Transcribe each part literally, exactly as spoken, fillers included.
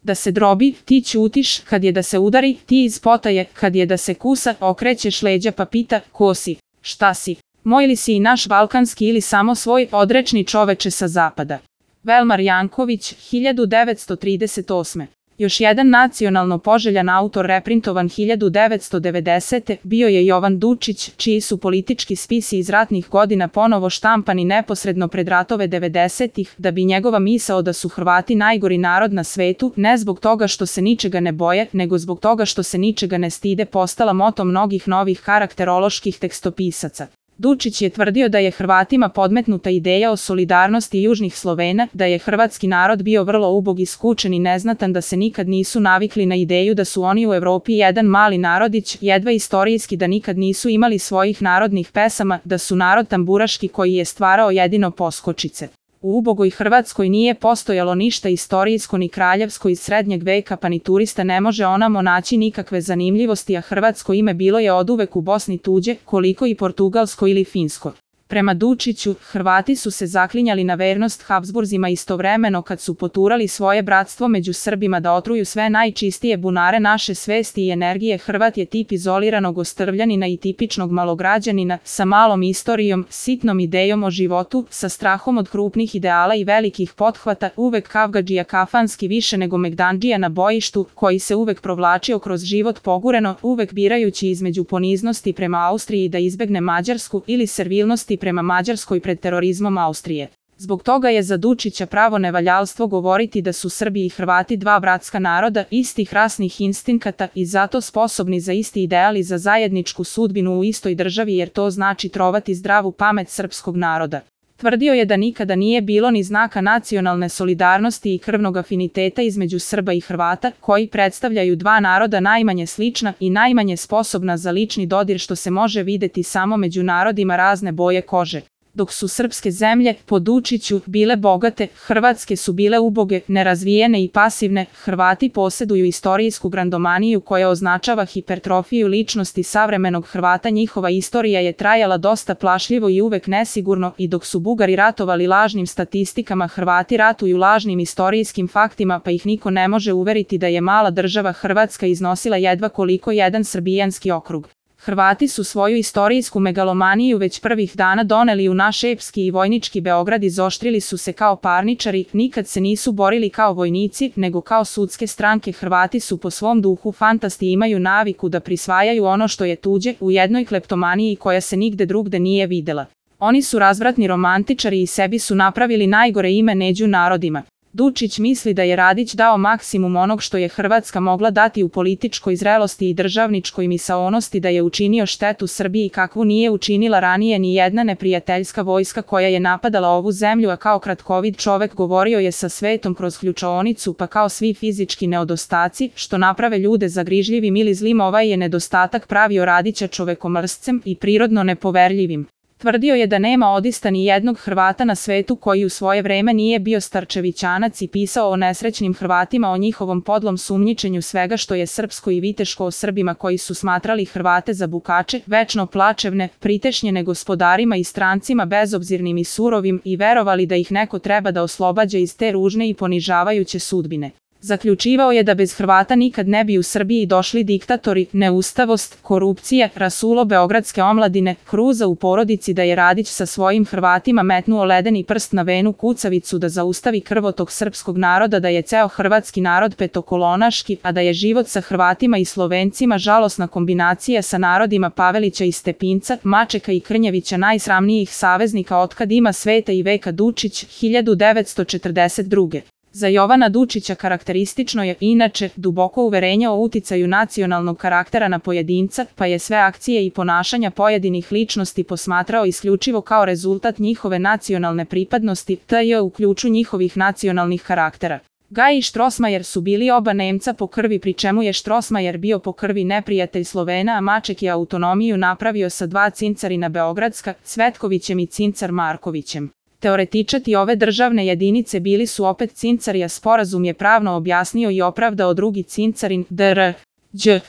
da se drobi, ti ćutiš, kad je da se udari, ti iz potaje, kad je da se kusa, okrećeš leđa pa pita, ko si, šta si, moj li si i naš balkanski ili samo svoj, odrečni čoveče sa zapada. Velmar Janković, hiljadu devetsto trideset osme. Još jedan nacionalno poželjan autor reprintovan hiljadu devetsto devedesete. bio je Jovan Dučić, čiji su politički spisi iz ratnih godina ponovo štampani neposredno pred ratove devedesetih, da bi njegova misao da su Hrvati najgori narod na svetu, ne zbog toga što se ničega ne boje, nego zbog toga što se ničega ne stide, postala moto mnogih novih karakteroloških tekstopisaca. Dučić je tvrdio da je Hrvatima podmetnuta ideja o solidarnosti južnih Slovena, da je hrvatski narod bio vrlo ubog i skučen i neznatan, da se nikad nisu navikli na ideju da su oni u Evropi jedan mali narodić, jedva istorijski da nikad nisu imali svojih narodnih pesama, da su narod tamburaški koji je stvarao jedino poskočice. U ubogoj Hrvatskoj nije postojalo ništa istorijsko ni kraljevsko iz srednjeg veka, pa ni turista ne može onamo naći nikakve zanimljivosti, a hrvatsko ime bilo je oduvek u Bosni tuđe, koliko i portugalsko ili finsko. Prema Dučiću, Hrvati su se zaklinjali na vernost Habsburzima istovremeno kad su poturali svoje bratstvo među Srbima da otruju sve najčistije bunare naše svesti i energije. Hrvat je tip izoliranog ostrvljanina i tipičnog malograđanina, sa malom istorijom, sitnom idejom o životu, sa strahom od krupnih ideala i velikih pothvata, uvek kavgadžija kafanski više nego megdandžija na bojištu, koji se uvek provlačio kroz život pogureno, uvek birajući između poniznosti prema Austriji da izbegne Mađarsku ili servilnosti prema Mađarskoj pred terorizmom Austrije. Zbog toga je za Dučića pravo nevaljalstvo govoriti da su Srbi i Hrvati dva bratska naroda, istih rasnih instinkata i zato sposobni za isti ideal i za zajedničku sudbinu u istoj državi, jer to znači trovati zdravu pamet srpskog naroda. Tvrdio je da nikada nije bilo ni znaka nacionalne solidarnosti i krvnog afiniteta između Srba i Hrvata, koji predstavljaju dva naroda najmanje slična i najmanje sposobna za lični dodir, što se može videti samo među narodima razne boje kože. Dok su srpske zemlje, po Dučiću, bile bogate, hrvatske su bile uboge, nerazvijene i pasivne. Hrvati posjeduju istorijsku grandomaniju koja označava hipertrofiju ličnosti savremenog Hrvata. Njihova istorija je trajala dosta plašljivo i uvek nesigurno, i dok su Bugari ratovali lažnim statistikama, Hrvati ratuju lažnim istorijskim faktima, pa ih niko ne može uveriti da je mala država Hrvatska iznosila jedva koliko jedan srbijanski okrug. Hrvati su svoju istorijsku megalomaniju već prvih dana doneli u naš epski i vojnički Beograd, izoštrili su se kao parničari, nikad se nisu borili kao vojnici, nego kao sudske stranke. Hrvati su po svom duhu fantasti i imaju naviku da prisvajaju ono što je tuđe, u jednoj kleptomaniji koja se nigde drugde nije videla. Oni su razvratni romantičari i sebi su napravili najgore ime među narodima. Dučić misli da je Radić dao maksimum onog što je Hrvatska mogla dati u političkoj zrelosti i državničkoj misaonosti, da je učinio štetu Srbiji kakvu nije učinila ranije ni jedna neprijateljska vojska koja je napadala ovu zemlju, a kao kratkovid čovek govorio je sa svetom kroz ključaonicu, pa kao svi fizički nedostaci, što naprave ljude zagrižljivim ili zlim, ovaj je nedostatak pravio Radića čovekomrscem i prirodno nepoverljivim. Tvrdio je da nema odista ni jednog Hrvata na svetu koji u svoje vreme nije bio starčevićanac i pisao o nesrećnim Hrvatima, o njihovom podlom sumnjičenju svega što je srpsko i viteško, o Srbima koji su smatrali Hrvate za bukače, večno plačevne, pritešnjene gospodarima i strancima, bezobzirnim i surovim, i verovali da ih neko treba da oslobađa iz te ružne i ponižavajuće sudbine. Zaključivao je da bez Hrvata nikad ne bi u Srbiji došli diktatori, neustavost, korupcija, rasulo beogradske omladine, kruza u porodici, da je Radić sa svojim Hrvatima metnuo ledeni prst na venu kucavicu da zaustavi krvotok srpskog naroda, da je ceo hrvatski narod petokolonaški, a da je život sa Hrvatima i Slovencima žalosna kombinacija sa narodima Pavelića i Stepinca, Mačeka i Krnjevića, najsramnijih saveznika otkad ima sveta i veka. Dučić, hiljadu devetsto četrdeset druge. Za Jovana Dučića karakteristično je, inače, duboko uverenje o uticaju nacionalnog karaktera na pojedinca, pa je sve akcije i ponašanja pojedinih ličnosti posmatrao isključivo kao rezultat njihove nacionalne pripadnosti, tj. u ključu njihovih nacionalnih karaktera. Gaj i Štrosmajer su bili oba Nemca po krvi, pri čemu je Štrosmajer bio po krvi neprijatelj Slovena, a Maček je autonomiju napravio sa dva cincarina beogradska, Cvetkovićem i cincar Markovićem. Teoretičati ove državne jedinice bili su opet cincari, a sporazum je pravno objasnio i opravdao drugi cincarin, dr. Đ.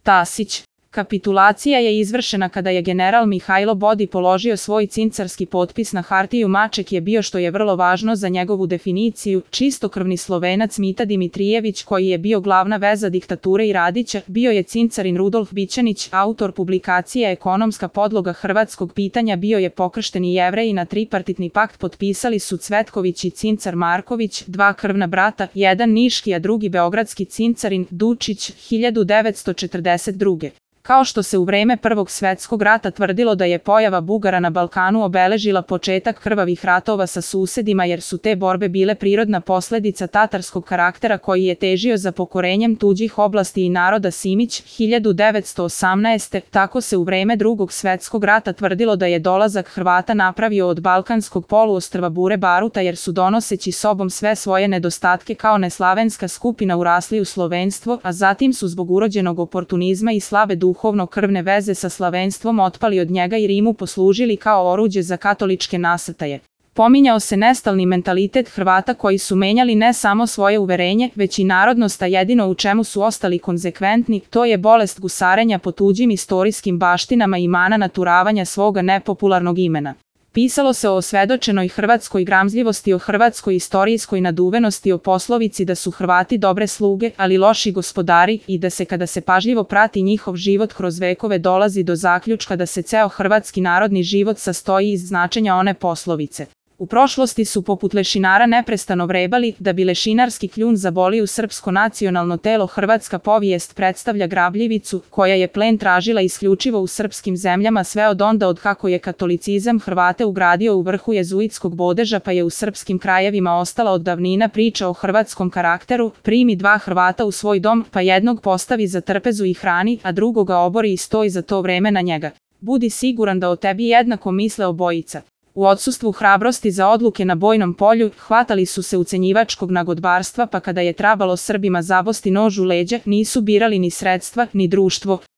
Tasić. Kapitulacija je izvršena kada je general Mihajlo Bodi položio svoj cincarski potpis na hartiju. Maček je bio, što je vrlo važno za njegovu definiciju, čistokrvni Slovenac Mita Dimitrijević, koji je bio glavna veza diktature i Radića. Bio je cincarin Rudolf Bićanić, autor publikacije Ekonomska podloga hrvatskog pitanja. Bio je pokršteni Jevrej. Na tripartitni pakt potpisali su Cvetković i cincar Marković, dva krvna brata, jedan niški a drugi beogradski cincarin Dučić, hiljadu devetsto četrdeset druge. Kao što se u vreme Prvog svetskog rata tvrdilo da je pojava Bugara na Balkanu obeležila početak krvavih ratova sa susedima, jer su te borbe bile prirodna posledica tatarskog karaktera koji je težio za pokorenjem tuđih oblasti i naroda. Simić, hiljadu devetsto osamnaeste. Tako se u vreme Drugog svetskog rata tvrdilo da je dolazak Hrvata napravio od balkanskog poluostrva bure baruta, jer su donoseći sobom sve svoje nedostatke kao neslavenska skupina urasli u slovenstvo, a zatim su zbog urođenog oportunizma i slabe duhovnosti duhovno krvne veze sa slavenstvom otpali od njega i Rimu poslužili kao oruđe za katoličke nasrtaje. Pominjao se nestalni mentalitet Hrvata koji su menjali ne samo svoje uverenje, već i narodnost, a jedino u čemu su ostali konzekventni, to je bolest gusarenja po tuđim istorijskim baštinama i mana naturavanja svoga nepopularnog imena. Pisalo se o osvedočenoj hrvatskoj gramzljivosti, o hrvatskoj istorijskoj naduvenosti, o poslovici da su Hrvati dobre sluge, ali loši gospodari, i da se kada se pažljivo prati njihov život kroz vekove dolazi do zaključka da se ceo hrvatski narodni život sastoji iz značenja one poslovice. U prošlosti su poput lešinara neprestano vrebali, da bi lešinarski kljun zabolio srpsko nacionalno telo. Hrvatska povijest predstavlja grabljivicu, koja je plen tražila isključivo u srpskim zemljama sve od onda od kako je katolicizam Hrvate ugradio u vrhu jezuitskog bodeža, pa je u srpskim krajevima ostala od davnina priča o hrvatskom karakteru. Primi dva Hrvata u svoj dom, pa jednog postavi za trpezu i hrani, a drugoga obori i stoji za to vreme na njega. Budi siguran da o tebi jednako misle obojica. U odsustvu hrabrosti za odluke na bojnom polju, hvatali su se ucenjivačkog nagodbarstva, pa kada je trebalo Srbima zabosti nož u leđa, nisu birali ni sredstva, ni društvo.